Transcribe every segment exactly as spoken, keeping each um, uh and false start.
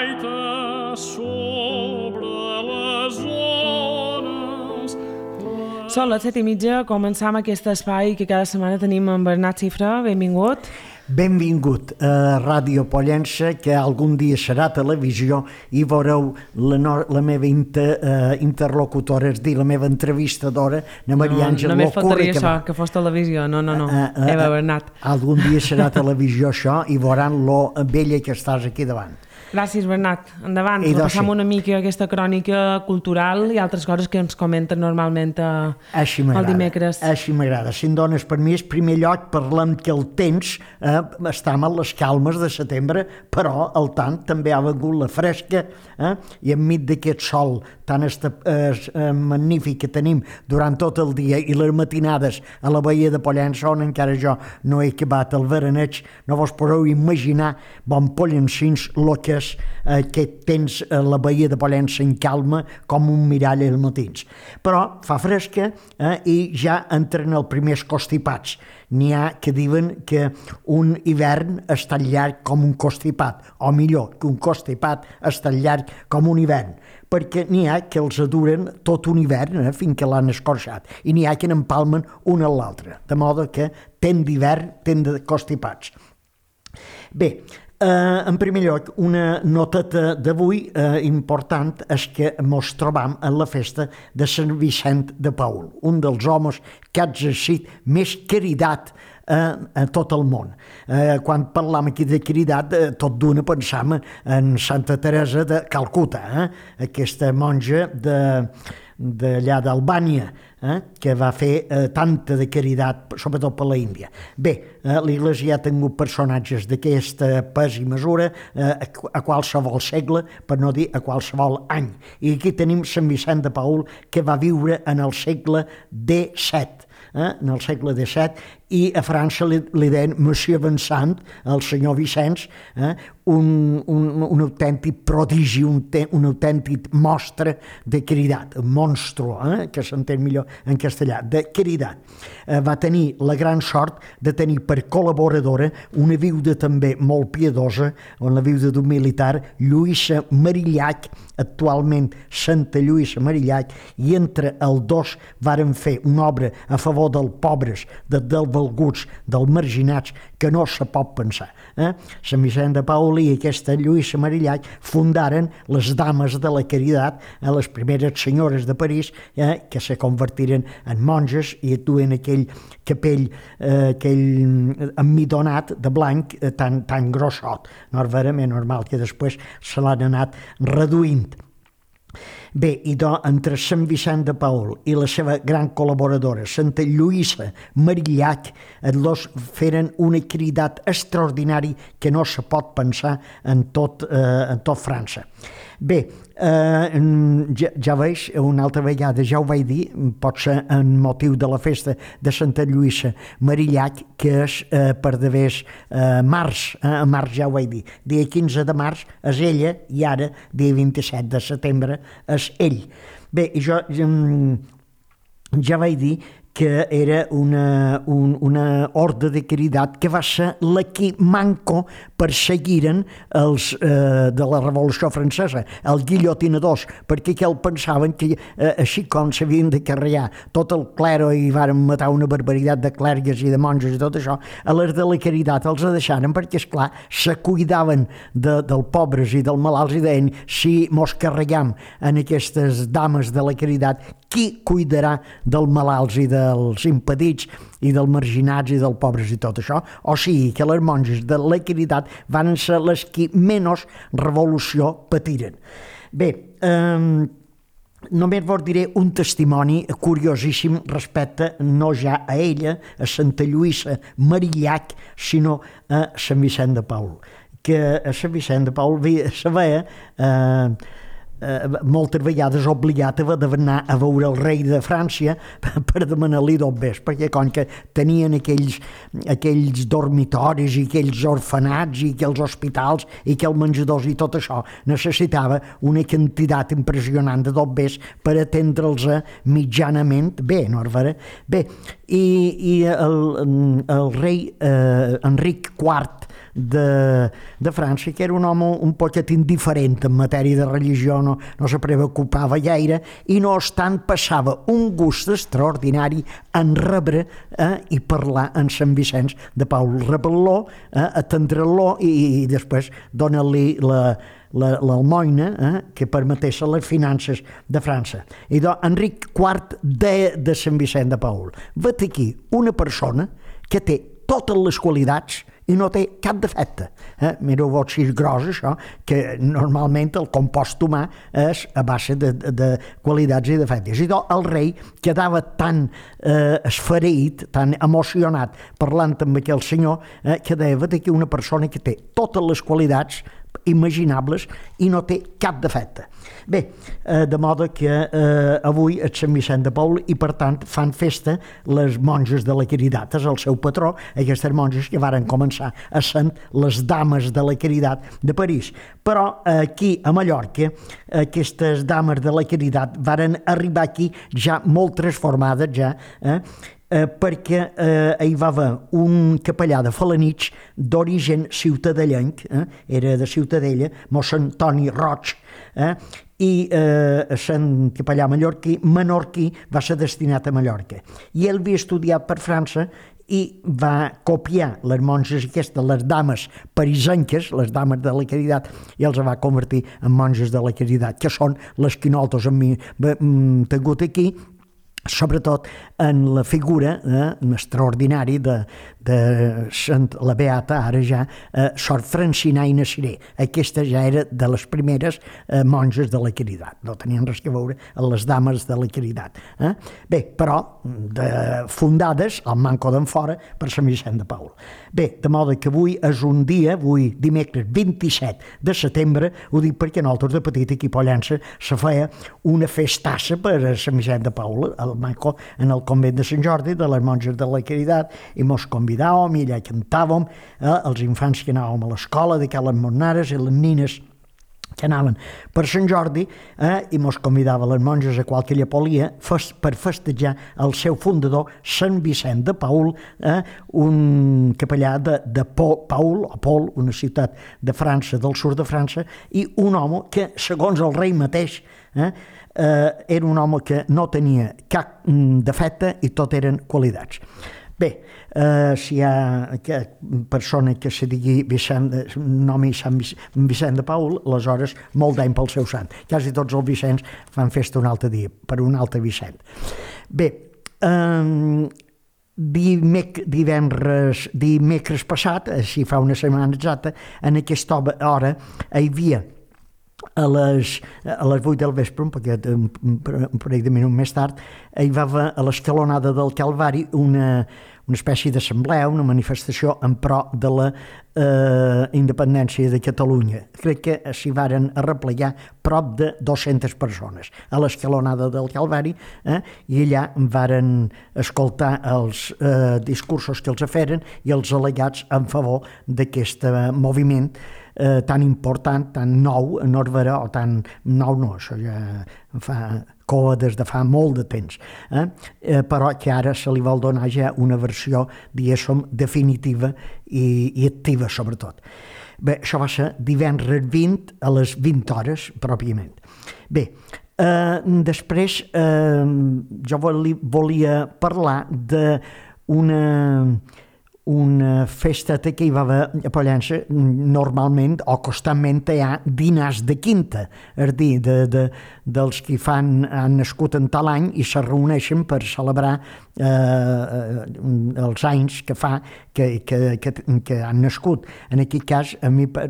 gaita sobre les ones. Són les set i mitja, començam aquest espai que cada setmana tenim amb Bernat Xifra. Benvingut. Benvingut a Ràdio Pollença, que algun dia serà televisió i veureu la, no, la meva inter, uh, interlocutora, és dir, la meva entrevistadora, la Maria Àngel Locurri. No, només faltaria que això, va... que fos televisió. No, no, no. Uh, uh, Eva Bernat. Algun dia serà televisió això i veuran lo bella que estàs aquí davant. Gràcies, Bernat. Endavant, repassam una mica aquesta crònica cultural i altres coses que ens comenten normalment a, el dimecres. Així m'agrada. Si em dones permís, primer lloc parlem que el temps eh, estem a les calmes de setembre, però al tant també ha vengut la fresca eh, i enmig d'aquest sol tan esta, eh, magnífic que tenim durant tot el dia i les matinades a la Baia de Pollença, on encara jo no he acabat el veraneig, no vos podeu imaginar bon pollencins lo que és aquest temps a la Baia de Pollença en calma com un mirall als matins. Però fa fresca eh, i ja entren els primers constipats. N'hi ha que diuen que un hivern és tan llarg com un constipat, o millor, que un constipat és tan llarg com un hivern, perquè n'hi ha que els duren tot un hivern eh, fins que l'han escorxat, i n'hi ha que n'empalmen un a l'altre, de modo que temps d'hivern, temps de constipats. Bé, Uh, en primer lloc, una noteta d'avui uh, important és que mos trobam en la festa de Sant Vicent de Paül, un dels homes que ha exercit més caritat uh, a tot el món. Uh, quan parlam aquí de caritat, uh, tot d'una pensam en Santa Teresa de Calcuta, eh? Aquesta monja de d'allà d'Albània, eh, que va fer eh, tanta de caritat, sobretot per la Índia. Bé, eh, l'Iglésia ha tingut personatges d'aquesta pes i mesura eh, a, a qualsevol segle, per no dir a qualsevol any. I aquí tenim Sant Vicent de Paül, que va viure en el segle disset. Eh, en el segle disset, i a França li, li deien Monsieur Vincent, el senyor Vicenç, eh, un, un, un autèntic prodigi, un, te, un autèntic mostre de caritat, un monstru, eh, que s'entén millor en castellà, de caritat. Eh, va tenir la gran sort de tenir per col·laboradora una viuda també molt piedosa, la viuda d'un militar, Lluïsa Marillac, actualment Santa Lluïsa Marillac, i entre els dos varen fer una obra a favor dels pobres, de, dels valguts, dels marginats, que no se pot pensar. Eh? Sant Vicent de Paül i aquesta Lluïsa Marillac fundaren les Dames de la Caritat, eh, les primeres senyores de París, eh, que se convertiren en monges i duen aquell capell, eh, aquell emmidonat de blanc eh, tan, tan grossot. No és verament normal que després se l'han anat reduint. Bé, i doncs, entre Sant Vicent de Paül i la seva gran col·laboradora, Santa Lluïsa Marillac, els dos feren una caritat extraordinària que no se pot pensar en tot, eh, en tot França. Bé, eh, ja, ja veig, una altra vegada ja ho vaig dir, pot ser en motiu de la festa de Santa Lluïsa Marillac, que és eh, per devers eh, març, eh, a març ja ho vaig dir, dia quinze de març és ella, i ara, dia vint-i-set de setembre, és ell. Bé, i jo ja vaig dir que era una, un, una ordre de caritat que va ser la que manco perseguiren els eh, de la Revolució Francesa, els guillotinadors, perquè que el pensaven que eh, així com s'havien de carregar tot el clero i varen matar una barbaritat de clergues i de monges i tot això, a les de la caritat els deixaren perquè, esclar, se cuidaven de, dels pobres i dels malalts i deien, si mos carregam en aquestes dames de la caritat, qui cuidarà dels malalts i dels impedits i dels marginats i dels pobres i tot això? O sigui que les monges de la caritat van ser les que menys revolució patiren. Bé, eh, només vos diré un testimoni curiosíssim respecte no ja a ella, a Santa Lluïsa Marillac, sinó a Sant Vicent de Paül. Que a Sant Vicent de Paül se veia eh, Uh, moltes vegades obligat d'anar a veure el rei de França per demanar-li d'obres, perquè com que tenien aquells, aquells dormitoris i aquells orfenats i aquells hospitals i aquells menjadors i tot això, necessitava una quantitat impressionant de d'obres per atendre'ls mitjanament bé, no és vera? Bé, i, i el, el rei eh, Enric quart de, de França, que era un home un poquet indiferent en matèria de religió, no, no se preocupava gaire, i no obstant passava un gust extraordinari en rebre eh, i parlar en Sant Vicenç de Paul, rebel·lo, eh, atendre-lo i, i després donar-li la l'almoina eh, que permetés les finances de França. I doncs Enric quart de, de Sant Vicent de Paul. Vet aquí una persona que té totes les qualitats i no té cap defecte. Eh? Mireu vos si és gros això, que normalment el compost humà és a base de, de, de qualitats i defectes. I doncs el rei quedava tan eh, esfereït, tan emocionat parlant amb aquell senyor, eh, que deia, vet aquí una persona que té totes les qualitats imaginables i no té cap defecte. Bé, eh, de modo que eh, avui és Sant Vicent de Paul i per tant fan festa les monges de la Caritat, és el seu patró, aquestes monges que varen començar a ser les dames de la Caritat de París. Però aquí a Mallorca aquestes dames de la Caritat varen arribar aquí ja molt transformades ja, eh? Eh, perquè eh, hi va haver un capellà de Felanitx d'origen ciutadellenc, eh, era de Ciutadella, mossèn Toni Roig, eh, i eh, Sant capellà mallorquí, menorquí, va ser destinat a Mallorca. I ell havia estudiat per França i va copiar les monges aquestes, les dames parisenques, les dames de la Caritat, i els va convertir en monges de la Caritat, que són les que nosaltres hem tingut aquí, sobretot en la figura eh, extraordinària de, de Sant, la Beata, ara ja, eh, Sor Francina i Nasiré. Aquesta ja era de les primeres eh, monges de la Caritat, no tenien res a veure amb les dames de la Caritat. Eh? Bé, però de, fundades al Manco d'Enfora per Sant Vicent de Paul. Bé, de modo que avui és un dia, avui dimecres vint-i-set de setembre, ho dic perquè nosaltres de petit aquí a Pollença se feia una festassa per a Sant Vicent de Paul, al Manco, en el convent de Sant Jordi, de les monges de la Caritat, i mos convidàvem i allà cantàvem, eh, els infants que anàvem a l'escola, de les monares i les nines que anaven per Sant Jordi, eh, i mos convidava les monges a qualque llepolia fest, per festejar el seu fundador, Sant Vicent de Paul, eh, un capellà de, de Paul, o Paul, una ciutat de França, del sud de França, i un home que, segons el rei mateix, eh, eh, era un home que no tenia cap defecte i tot eren qualitats. Bé, eh, si hi ha persona que se digui Vicent, nomi Sant Vicent de Paul, aleshores molt d'any pel seu sant. Quasi tots els Vicents fan festa un altre dia, per un altre Vicent. Bé, eh, dimec, divendres, dimecres passat, si fa una setmana exacta, en aquesta hora hi havia a les, a les vuit del vespre, un, poquet, un, un parell de minuts més tard, hi va haver a l'escalonada del Calvari una, una espècie d'assemblea, una manifestació en pro de la eh, independència de Catalunya. Crec que s'hi varen arreplegar prop de dues-centes persones a l'escalonada del Calvari, eh, i allà varen escoltar els eh, discursos que els feren i els al·legats en favor d'aquest moviment Eh, tan important, tan nou, no és vera, o tan nou no, això ja fa coa des de fa molt de temps, eh? Eh, però que ara se li vol donar ja una versió, diguéssim, definitiva i, i activa, sobretot. Bé, això va ser divendres vint a les vint hores, pròpiament. Bé, eh, després eh, jo volia parlar d'una una festa que hi va haver a Pollença. Normalment o constantment hi ha dinars de quinta, és a dir, de, de, dels que fan, han nascut en tal any i se reuneixen per celebrar eh, els anys que fa que, que, que, que han nascut. En aquest cas, a mi per,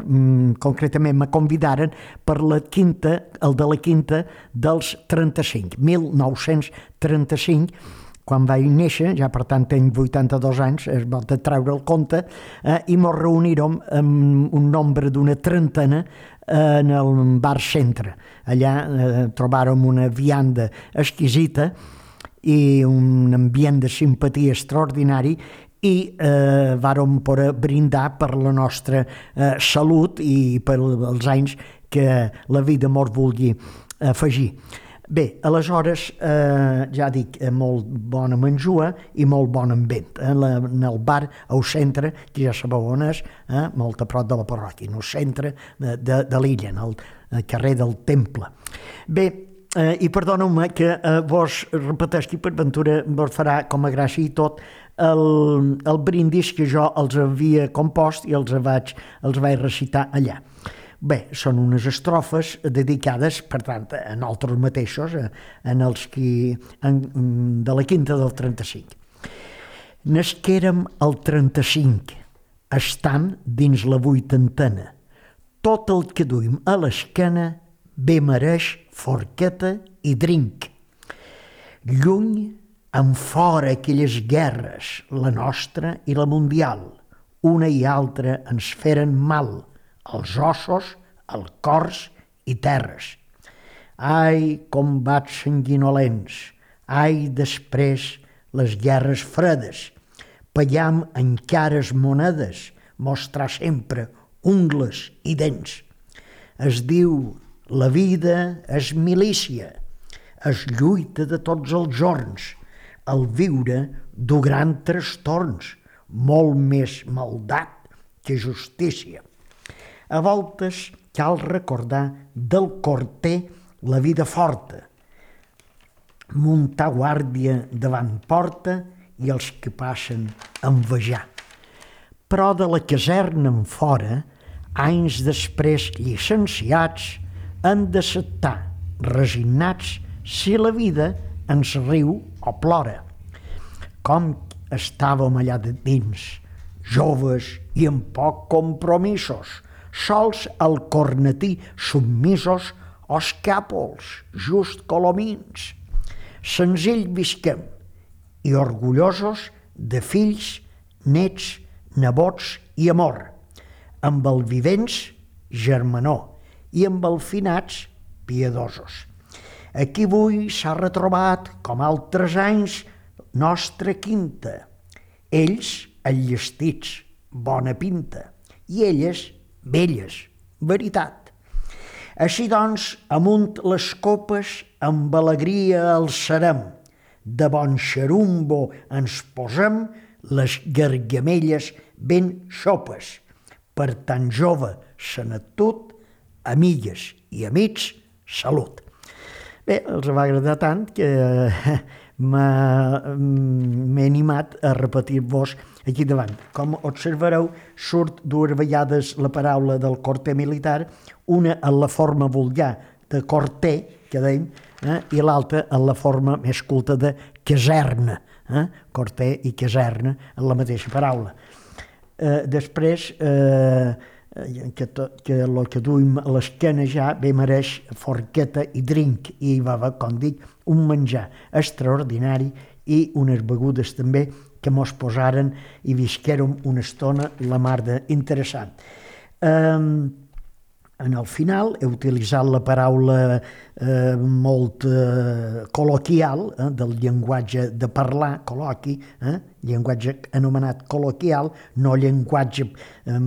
concretament me convidaren per la quinta, el de la quinta dels trenta-cinc, mil nou-cents trenta-cinc, quan vaig néixer, ja per tant tenc vuitanta-dos anys, es va treure el compte, eh, i mos reunirem amb un nombre d'una trentena eh, en el bar Centre. Allà eh, trobàrem una vianda exquisita i un ambient de simpatia extraordinari i eh, vàrem poder brindar per la nostra eh, salut i per els anys que la vida mos vulgui afegir. Bé, aleshores, eh, ja dic, eh, molt bona menjua i molt bon ambient. Eh? La, en el bar al centre, que ja sabeu on és, eh? molt a prop de la parròquia, en el centre de, de, de l'illa, en el, el carrer del Temple. Bé, eh, i perdoneu-me que eh, vos repeteixi, per ventura vos farà com a gràcia i tot el, el brindis que jo els havia compost i els vaig, els vaig recitar allà. Bé, són unes estrofes dedicades, per tant, a nosaltres mateixos, en els qui, en, de la quinta del trenta-cinc. Nasquérem al trenta-cinc, estant dins la vuitantena. Tot el que duim a l'esquena bé mereix forqueta i drinc. Lluny, enfora aquelles guerres, la nostra i la mundial, una i altra ens feren mal, els ossos, el cors i terres. Ai, combats sanguinolents, ai, després les guerres fredes, pagar en cares monedes, mostrar sempre ungles i dents. Es diu, la vida és milícia, es lluita de tots els jorns, el viure du gran trastorns, molt més maldat que justícia. A voltes cal recordar del corter la vida forta, muntar guàrdia davant porta i els que passen envejar. Però de la caserna en fora, anys després llicenciats, han d'acceptar, resignats, si la vida ens riu o plora. Com estàvem allà de dins, joves i amb poc compromisos, sols al cornetí submisos o escàpols, just colomins. Senzill visquem i orgullosos de fills, nets, nebots i amor, amb el vivents germanor i amb el finats piedosos. Aquí avui s'ha retrobat, com altres anys, nostra quinta. Ells, enllestits, bona pinta, i elles, velles, veritat. Així doncs, amunt les copes, amb alegria alçarem, de bon xerumbo ens posem les gargamelles ben xopes. Per tan jove senetut, amigues i amics, salut. Bé, els va agradar tant que m'he animat a repetir-vos aquí davant. Com observareu, surt dues vegades la paraula del corter militar, una en la forma vulgar de corter, que dèiem, eh, i l'altra en la forma més culta de caserna. Eh? Corter i caserna en la mateixa paraula. Eh, després, eh, que, to, que el que duim a l'esquena ja bé mereix forqueta i drink, i hi va haver, com dic, un menjar extraordinari i unes begudes també que mos posaren i visquérem una estona la mar d'interessant. Eh, en el final he utilitzat la paraula eh, molt eh, col·loquial, eh, del llenguatge de parlar, col·loqui, eh, llenguatge anomenat col·loquial, no llenguatge eh,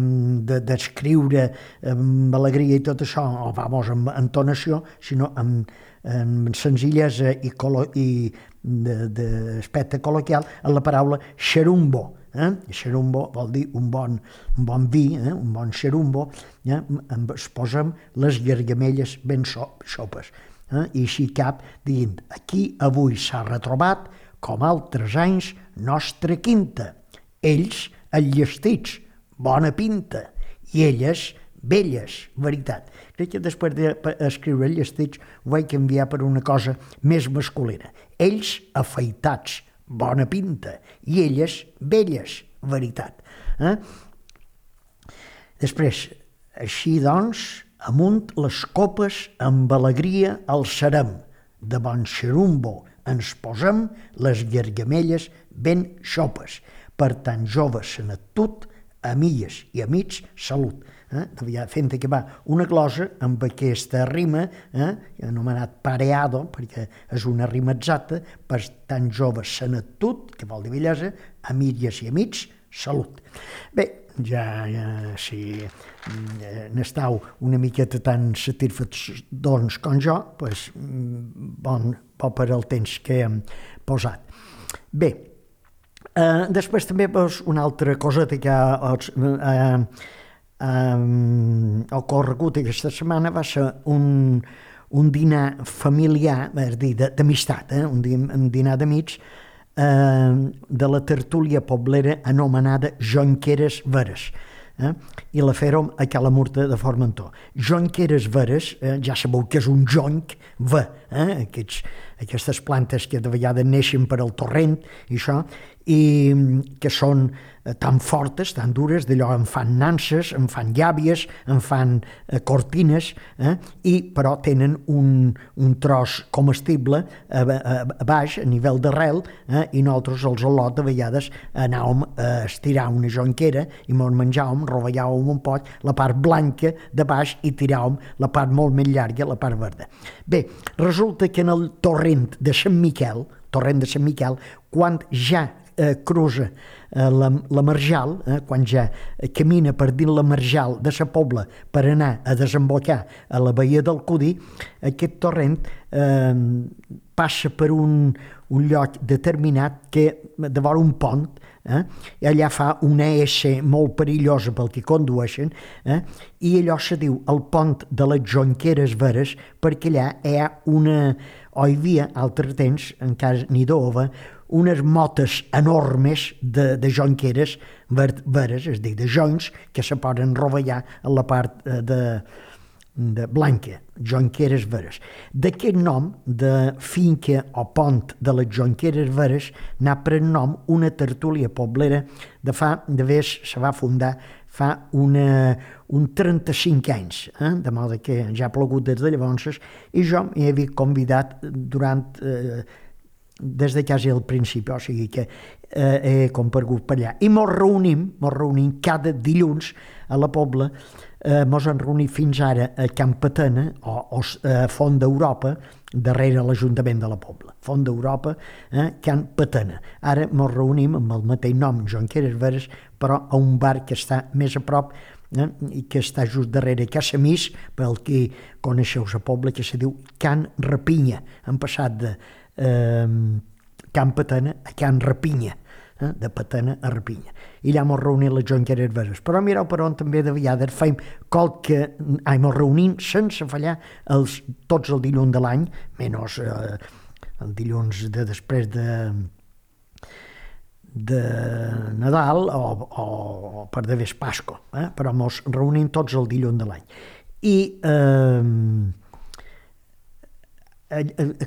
d'escriure de, amb alegria i tot això, o vamos, amb entonació, sinó amb, amb senzillesa i, i d'aspecte col·loquial, en la paraula xerumbo. Eh? Xerumbo vol dir un bon, un bon vi, eh? un bon xerumbo, eh? es posen les gargamelles ben xopes. Eh? I així cap dient, aquí avui s'ha retrobat, com altres anys, nostra quinta. Ells, enllestits, bona pinta, i elles, belles, veritat. Crec que després d'escriure enllestits ho vaig canviar per una cosa més masculina. Ells, afaitats, bona pinta, i elles, belles, veritat. Eh? Després, així doncs, amunt les copes amb alegria alçarem, de bon xerumbo ens posem les gargamelles ben xopes, per tan joves senetut, amigues i amics, salut. Eh? Fent acabar una glosa amb aquesta rima, eh? anomenat pareado, perquè és una rima exacta, per tan jove senetut, que vol dir bellesa, amigues i amics, salut. Bé, ja, ja si n'estau una miqueta tan satisfets doncs com jo, pues, bon, bo per al temps que hem posat. Bé, eh, després també pues, una altra cosa que ha eh, eh, ocorregut aquesta setmana va ser un, un dinar familiar, és dir, d'amistat, eh? un, un dinar d'amics, eh, de la tertúlia poblera anomenada Jonqueres Veres. Eh? I la fèrem a Cala Murta de Formentor. Jonqueres veres, eh? ja sabeu que és un jonc ve, eh? Aquests, aquestes plantes que de vegades neixen per al torrent i això, i que són tan fortes, tan dures, d'allò en fan nanses, en fan llàvies, en fan eh, cortines, eh? I però tenen un, un tros comestible a, a, a baix, a nivell d'arrel, eh? I nosaltres als al·lot de vegades anàvem a estirar una jonquera i mos menjàvem, rovellàvem un poc la part blanca de baix i tiràvem la part molt més llarga, la part verda. Bé, resulta que en el torrent de Sant Miquel, torrent de Sant Miquel, quan ja eh, cruza eh, la, la marjal, eh, quan ja camina per dins la marjal de sa Pobla per anar a desembocar a la baia del Codí, aquest torrent eh, passa per un, un lloc determinat que, de vora un pont, eh, i allà fa una S molt perillosa pel que condueixen, eh, i allò se diu el pont de les Jonqueres Veres, perquè allà hi ha una, o hi havia, altre temps, encara n'hi d'ova, unes motes enormes de, de jonqueres veres, és a dir, de joncs que se poden rovellar a la part de, de blanca, jonqueres veres. D'aquest nom de finca o pont de les Jonqueres Veres n'ha pres nom una tertúlia poblera de fa, de vés, se va fundar fa una, un trenta-cinc anys, eh? De modo que ja ha plogut des de llavors, i jo m'hi havia convidat durant... Eh, des de quasi al principi, o sigui que eh, he comparegut per allà. I mos reunim, mos reunim cada dilluns a la Pobla, eh, mos han reunit fins ara a Can Patena, o, o a Font d'Europa, darrere l'Ajuntament de la Pobla. Font d'Europa, eh, Can Patena. Ara mos reunim amb el mateix nom, Jonqueres Veres, però a un bar que està més a prop, eh, i que està just darrere Casamís, pel que coneixeu la Pobla, que se diu Can Rapinya. Han passat de Eh, Can Patena a Can Rapinya, eh, de Patena a Rapinya. I allà mos reunim les Jonqueres Veres. Però mireu per on també de vegades feim qualque... Ai, mos reunim sense fallar els, tots el dilluns de l'any, menys eh, el dilluns de després de de Nadal o, o, o per de vés Pasco, eh? Però mos reunim tots el dilluns de l'any. I eh,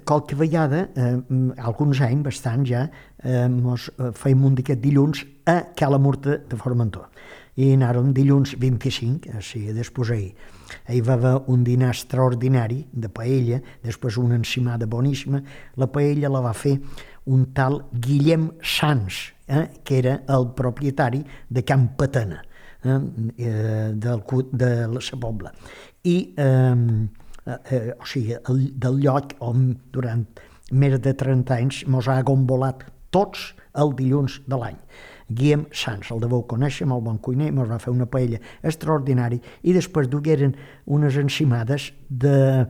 qualque vegada, eh, alguns anys, bastant ja, eh, mos feim un d'aquest dilluns a Cala Murta de Formentor. I anàrem dilluns vint-i-cinc, o sigui, després ahir. Ahir va haver un dinar extraordinari de paella, després una encimada boníssima. La paella la va fer un tal Guillem Sans, eh, que era el propietari de Can Patena, eh, del, de la Sa Pobla. I... Eh, Eh, o sigui, el, del lloc on durant més de trenta anys mos ha gombolat tots el dilluns de l'any. Guillem Sans, el deveu conèixer, molt bon cuiner, mos va fer una paella extraordinària i després dugueren unes encimades de...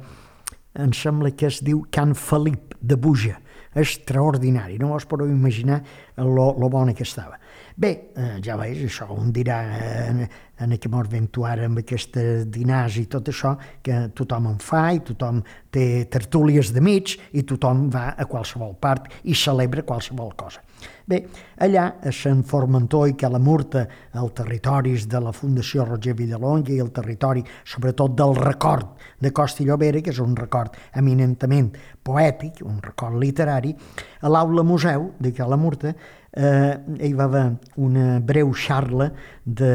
em sembla que es diu Can Felip de Buja, extraordinari, no us podeu imaginar lo, lo bona que estava. Bé, eh, ja veus, això, un dirà eh, en què mos ventu ara amb aquestes dinars i tot això, que tothom en fa i tothom té tertúlies d'amics i tothom va a qualsevol part i celebra qualsevol cosa. Bé, allà a Sant Formentor i Cala Murta, els territoris de la Fundació Roger Villalonga i el territori, sobretot del record de Costa i Llobera, que és un record eminentment poètic, un record literari, a l'aula museu de Cala Murta eh, hi va haver una breu xarla de...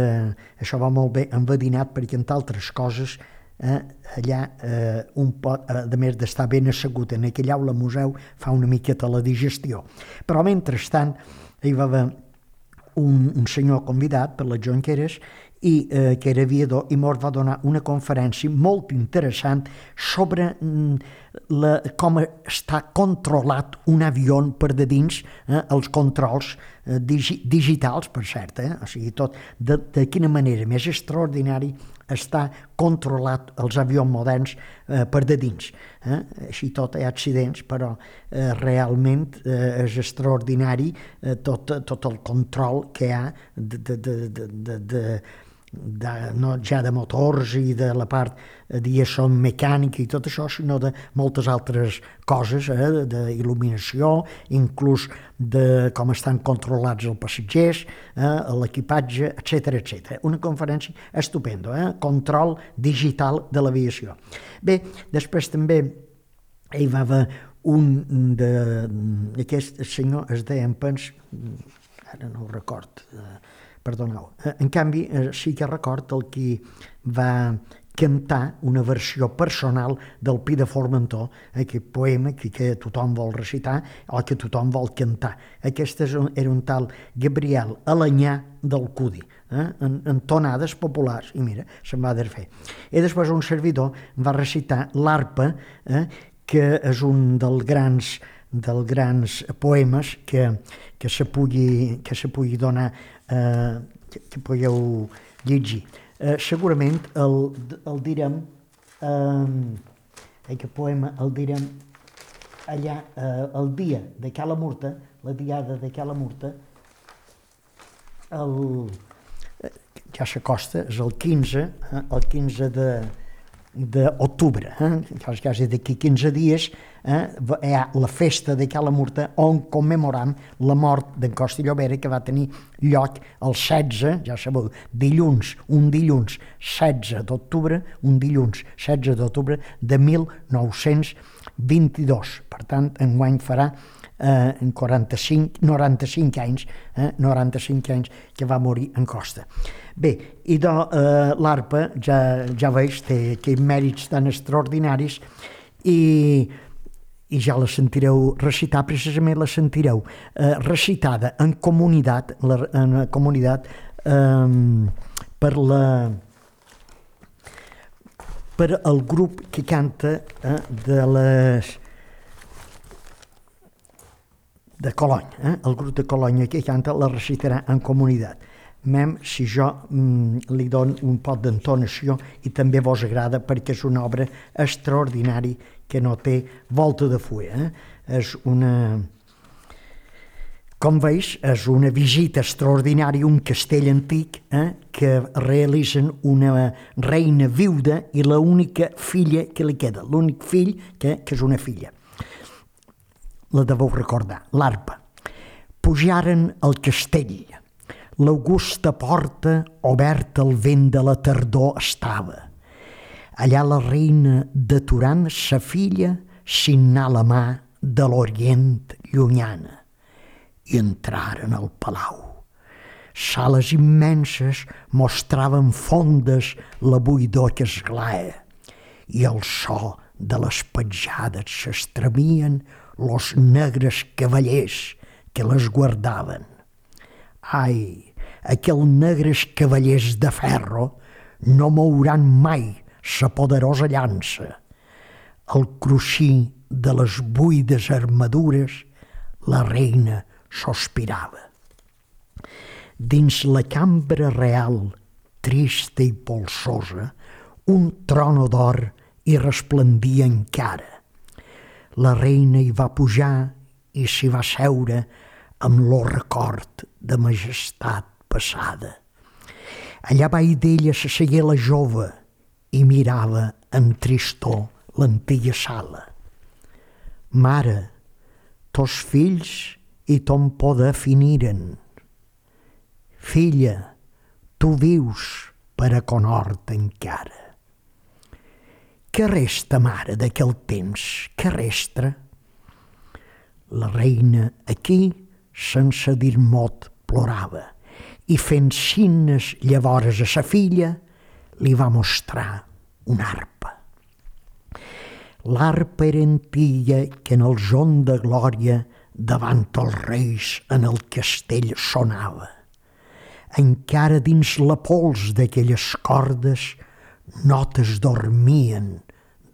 Això va molt bé enverinat perquè, entre altres coses, eh, allà, eh, un pot, a més d'estar ben assegut en aquella aula museu, fa una miqueta la digestió. Però, mentrestant, hi va haver un, un senyor convidat per les Jonqueres i, eh, que era aviador, i mos va donar una conferència molt interessant sobre mm, la, com està controlat un avió per de dins, eh, els controls eh, digi, digitals, per cert, eh? O sigui, tot, de, de quina manera més extraordinari està controlat els avions moderns eh, per de dins. Eh? Així tot hi ha accidents, però eh, realment eh, és extraordinari eh, tot, tot el control que hi ha de, de, de, de, de, de De, no ja de motors i de la part diguéssim mecànica i tot això, sinó de moltes altres coses, eh, d'il·luminació, inclús de com estan controlats els passatgers, eh, l'equipatge, etcètera, etcètera. Una conferència estupenda, eh? Control digital de l'aviació. Bé, després també hi va haver un d'aquest senyor, es deia, em pens, ara no ho record, eh, perdoneu. En canvi, sí que record el qui va cantar una versió personal del Pi de Formentor, aquest poema que, que tothom vol recitar o que tothom vol cantar. Aquest era un tal Gabriel Alanyà del Cudi, eh? en, en tonades populars, i mira, se'n va desfer. I després un servidor va recitar l'Arpa, eh? que és un dels grans dels grans poemes que, que, se pugui, que se pugui donar, eh, que, que pugueu llegir. Eh, segurament el, el direm, eh, aquest poema el direm allà eh, el dia de Cala Murta, la diada de Cala Murta, el, ja s'acosta, és el quinze, eh, el quinze de d'octubre, eh? quasi d'aquí quinze dies, eh? hi ha la festa de Cala Murta on commemoram la mort d'en Costa i Llobera, que va tenir lloc el setze, ja sabeu, dilluns, un dilluns setze d'octubre, un dilluns setze d'octubre de mil nou-cents vint-i-dos. Per tant, enguany farà eh, en quaranta-cinc, noranta-cinc anys, eh, noranta-cinc anys que va morir en Costa. Bé, i de eh, l'Arpa, ja, ja veig, té aquests mèrits tan extraordinaris i, i ja la sentireu recitar, precisament la sentireu eh, recitada en comunitat, la, en la comunitat eh, per la per el grup que canta eh, de les de Colonya, eh? El grup de Colonya que canta la recitarà en comunitat. Mem si jo mm, li dono un pot d'entonació i també vos agrada, perquè és una obra extraordinària que no té volta de fulla. Eh? És una... Com veus, és una visita extraordinària a un castell antic eh? que realitzen una reina viuda i l'única filla que li queda, l'únic fill que, que és una filla. La deveu recordar, l'Arpa. Pujaren al castell. L'augusta porta oberta al vent de la tardor estava. Allà la reina deturant sa filla signar la mà de l'Orient llunyana i entraren al palau. Sales immenses mostraven fondes la buidor que esglaia i el so de les petjades s'estremien los negres cavallers que les guardaven. Ai, aquells negres cavallers de ferro no mouran mai sa poderosa llança. Al cruixir de les buides armadures, la reina sospirava. Dins la cambra real, trista i polsosa, un trono d'or hi resplendia encara. La reina hi va pujar i s'hi va seure amb lo record de majestat passada. Allà baix d'ella s'assegué la jove i mirava amb tristor l'antiga sala. Mare, tos fills i ton poder finiren. Filla, tu vius per a conhort encara. Què resta, mare, d'aquell temps? Què resta? La reina aquí, sense dir mot, plorava i fent signes llavors a sa filla, li va mostrar una arpa. L'arpa era antiga que en el son de glòria davant els reis en el castell sonava. encara dins la pols d'aquelles cordes, notes dormien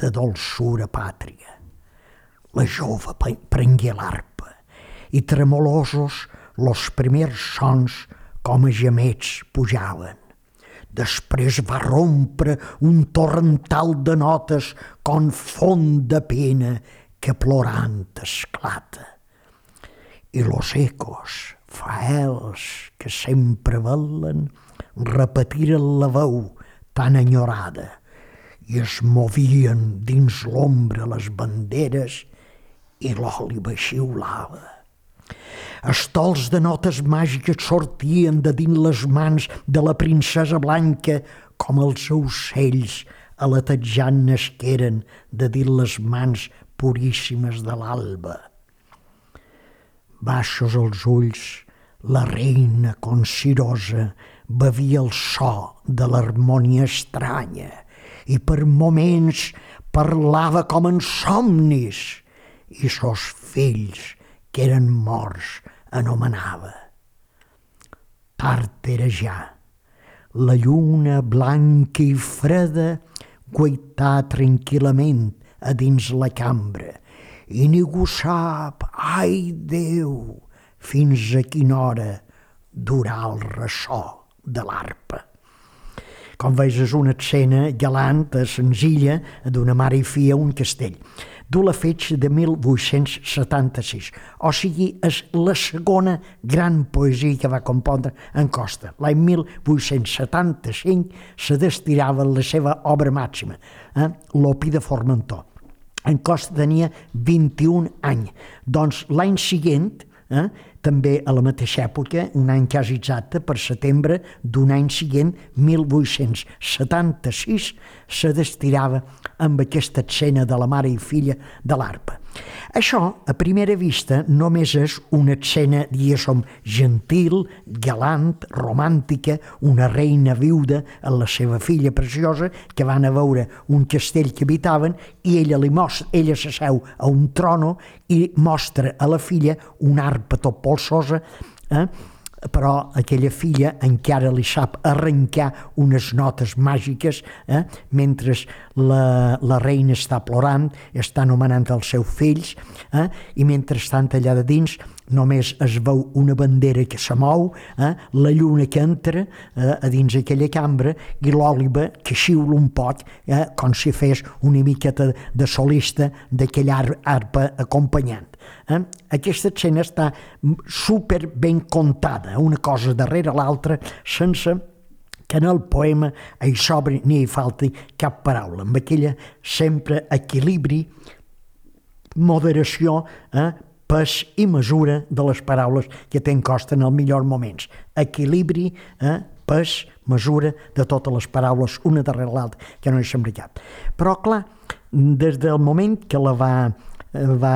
de dolçura pàtria. La jove prengué l'arpa i tremolosos los primers sons com a gemets pujaven. Després va rompre un torrental de notes con font de pena que plorant esclata. I los ecos, faels que sempre velen, repetiren la veu tan enyorada i es movien dins l'ombra les banderes i l'òliba xiulava. Estols de notes màgiques sortien de dins les mans de la princesa blanca com els ocells aletejant nasqueren de dins les mans puríssimes de l'alba. Baixos els ulls, la reina consirosa bevia el so de l'harmonia estranya i per moments parlava com en somnis i sos fills que eren morts anomenava. Tard era ja. La lluna blanca i freda guaità tranquil·lament a dins la cambra i ningú sap, ai Déu, fins a quina hora durà el ressò de l'arpa. Com veus, és una escena galant, senzilla, d'una mare i filla a un castell. Du la fetge de mil vuit-cents setanta-sis, o sigui, és la segona gran poesia que va compondre en Costa. L'any mil vuit-cents setanta-cinc se destirava la seva obra màxima, eh? l'Opi de Formentor. En Costa tenia vint-i-un anys, doncs l'any següent, eh? també a la mateixa època, un any quasi exacte, per setembre d'un any següent, mil vuit-cents setanta-sis, se destirava amb aquesta escena de la mare i filla de l'arpa. Això, a primera vista, només és una escena, diguéssim, gentil, galant, romàntica, una reina viuda amb la seva filla preciosa que van a veure un castell que habitaven i ella li mostra, ella s'asseu a un trono i mostra a la filla una arpa tot polsosa, eh? però aquella filla encara li sap arrencar unes notes màgiques, eh? mentre la, la reina està plorant, està anomenant els seus fills, eh? i mentrestant allà de dins només es veu una bandera que se mou, eh? la lluna que entra eh? a dins aquella cambra i l'òliba que xiula un poc, eh? com si fes una miqueta de solista d'aquella arpa acompanyant. Eh? Aquesta escena està super ben contada, una cosa darrere l'altra, sense que en el poema hi sobri ni hi falti cap paraula, amb aquella sempre equilibri, moderació, eh? pes i mesura de les paraules que té en Costa en els millors moments. Equilibri, eh? pes, mesura de totes les paraules, una darrere l'altra, que no hi sembla cap. Però, clar, des del moment que la va... va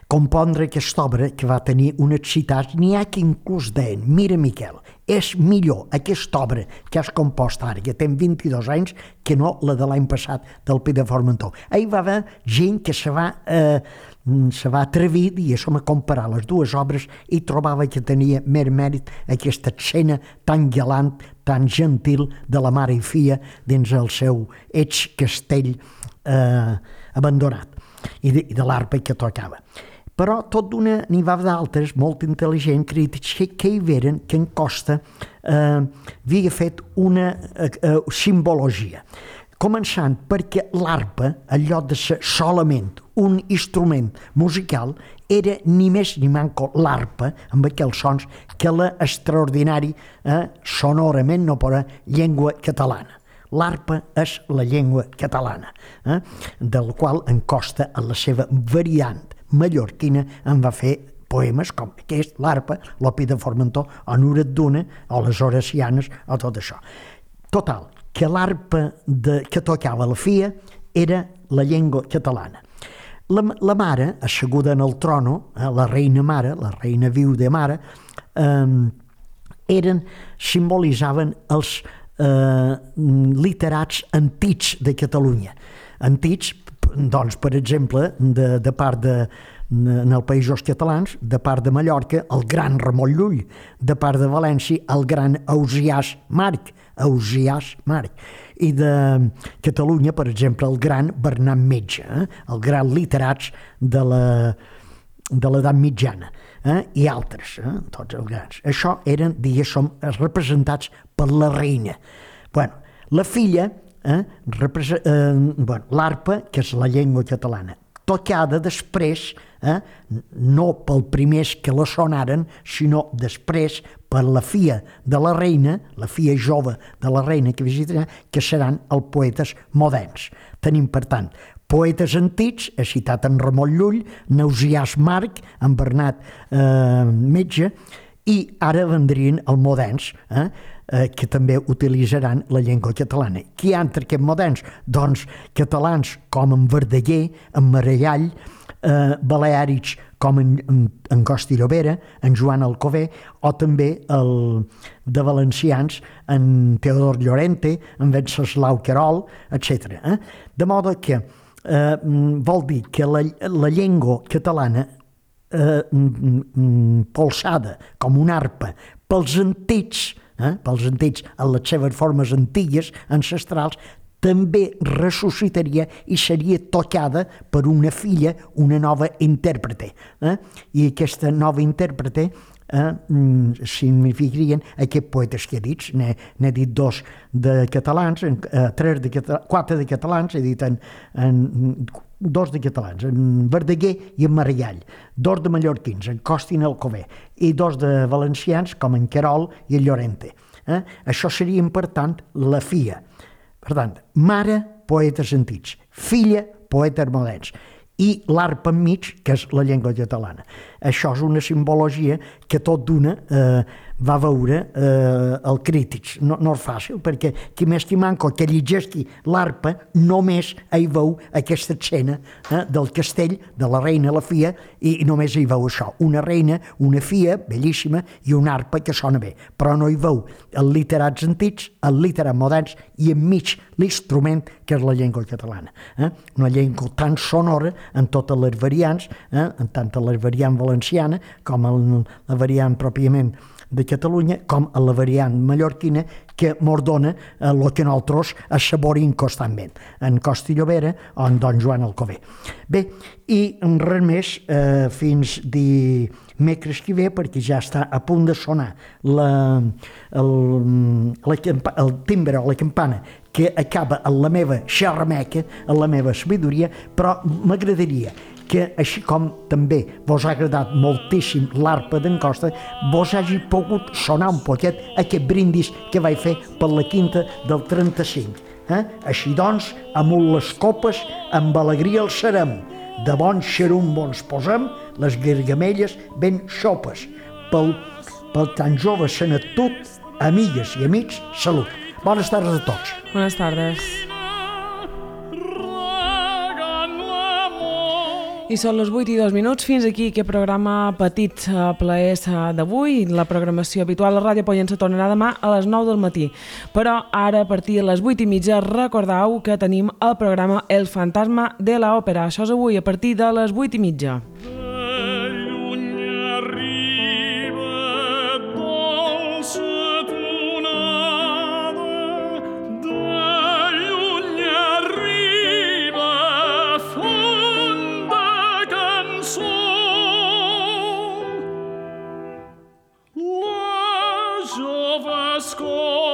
compondre aquesta obra, que va tenir unes citats, n'hi ha que inclús deien, mira Miquel, és millor aquesta obra que has compost ara, que té vint-i-dos anys, que no la de l'any passat del Pi de Formentor. Hi va haver gent que se va, eh, se va atrevir, diguéssim, a comparar les dues obres i trobava que tenia més mèrit aquesta escena tan galant, tan gentil de la mare i filla dins el seu eix castell eh, abandonat. i de, i de l'arpa que tocava. Però tot d'una n'hi va d'altres molt intel·ligents crítics que, que hi veren que en Costa eh, havia fet una eh, eh, simbologia. Començant perquè l'arpa, en lloc de ser solament un instrument musical, era ni més ni manco l'arpa, amb aquells sons, que la extraordinari, eh, sonorament no per llengua catalana. L'arpa és la llengua catalana, eh, del qual en Costa, en la seva variant mallorquina, en va fer poemes com aquest, l'arpa, l'Opi de Formentor, o Nuret d'Una, o les Horacianes, o tot això. Total, que l'arpa de, que tocava la filla era la llengua catalana. La, la mare, asseguda en el trono, eh, la reina mare, la reina viuda mare, eh, eren, simbolitzaven els eh, literats antics de Catalunya. Antics doncs, per exemple, de, de part de, en els països catalans, de part de Mallorca, el gran Ramon Llull, de part de València, el gran Ausiàs Marc, Ausiàs Marc, i de Catalunya, per exemple, el gran Bernat Metge, eh? el gran literats de la de l'edat mitjana, eh? i altres, eh? tots els grans. Això eren, diguéssim, representats per la reina. Bueno, la filla, eh? Represe- eh, bueno, l'arpa, que és la llengua catalana, tocada després, eh? no pel primers que la sonaren, sinó després per la filla de la reina, la filla jove de la reina que visitarà, que seran els poetes moderns. Tenim, per tant, poetes antics, he citat en Ramon Llull, en Ausiàs Marc, en Bernat eh, Metge, i ara vendrien els moderns, eh, eh, que també utilitzaran la llengua catalana. Qui hi ha entre aquests moderns? Doncs catalans com en Verdaguer, en Maragall, eh, baleàrics com en, en, en Costa i Llobera, en Joan Alcover, o també el, de valencians en Teodor Llorente, en Venceslau Querol, etcètera. Eh? De modo que eh, vol dir que la, la llengua catalana eh, polsada com una arpa pels antics, eh, pels antics en les seves formes antigues, ancestrals, també ressuscitaria i seria tocada per una filla, una nova intèrprete. Eh? I aquesta nova intèrprete eh, significarien aquests poetes que he dit. N'he, n'he dit dos de catalans, eh, tres de catalans, quatre de catalans, he dit en, en dos de catalans, en Verdaguer i en Maragall, dos de mallorquins, en Costa i en Alcover, i dos de valencians, com en Querol i en Llorente. Eh? Això serien, per tant, la filla. Per tant, mare, poetes antics, filla, poetes moderns, i l'arpa enmig, que és la llengua catalana. Això és una simbologia que tot d'una eh, va veure eh, el Crítics. No, no és fàcil, perquè qui més qui manco que llegeixi l'arpa només hi veu aquesta escena eh, del castell, de la reina i la filla, i, i només hi veu això. Una reina, una filla, bellíssima, i una arpa que sona bé. Però no hi veu els literats antics, els literats moderns, i enmig l'instrument que és la llengua catalana. Eh? Una llengua tan sonora en totes les variants, eh? en tant les variants valenciana com en la variant pròpiament de Catalunya, com a la variant mallorquina, que mos dona el que nosaltres assaborim constantment, en Costa i Llobera o en Don Joan Alcover. Bé, i res més, eh, fins dimecres que ve, perquè ja està a punt de sonar la, el, la, el timbre o la campana que acaba en la meva xerrameca, en la meva sabidoria, però m'agradaria que, així com també vos ha agradat moltíssim l'arpa d'en Costa, vos hagi pogut sonar un poquet aquest brindis que vaig fer per la quinta del trenta-cinc. Eh? Així doncs, amunt les copes, amb alegria el serem. De bon xerum ens posem, les gargamelles ben xopes. Pel, pel tan jove senatut, amigues i amics, salut. Bones tardes a tots. Bones tardes. I són les vuit i dos minuts. Fins aquí aquest programa petit plaers d'avui. La programació habitual a la Ràdio Pollença tornarà demà a les nou del matí. Però ara, a partir de les vuit i mitja, recordeu que tenim el programa El Fantasma de l'Òpera. Això és avui, a partir de les vuit i mitja. Score.